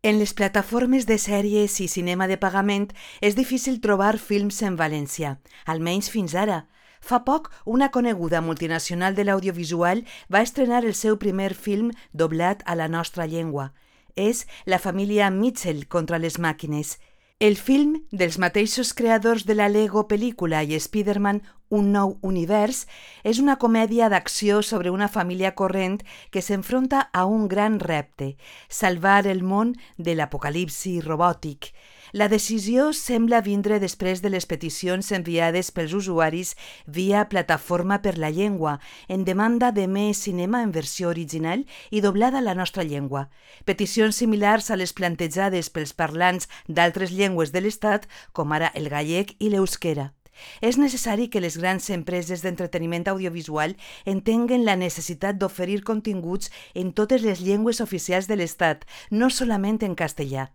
En les plataformes de sèries i cinema de pagament és difícil trobar films en valencià, almenys fins ara. Fa poc, una coneguda multinacional de l'audiovisual va estrenar el seu primer film doblat a la nostra llengua. És La família Mitchell contra les màquines. El film, dels mateixos creadors de la Lego pel·lícula i Spider-Man Un nou univers, és una comèdia d'acció sobre una família corrent que s'enfronta a un gran repte, salvar el món de l'apocalipsi robòtic. La decisió sembla vindre després de les peticions enviades pels usuaris via Plataforma per la Llengua, en demanda de més cinema en versió original i doblada a la nostra llengua. Peticions similars a les plantejades pels parlants d'altres llengües de l'Estat, com ara el gallec i l'euskera. És necessari que les grans empreses d'entreteniment audiovisual entenguen la necessitat d'oferir continguts en totes les llengües oficials de l'Estat, no solament en castellà.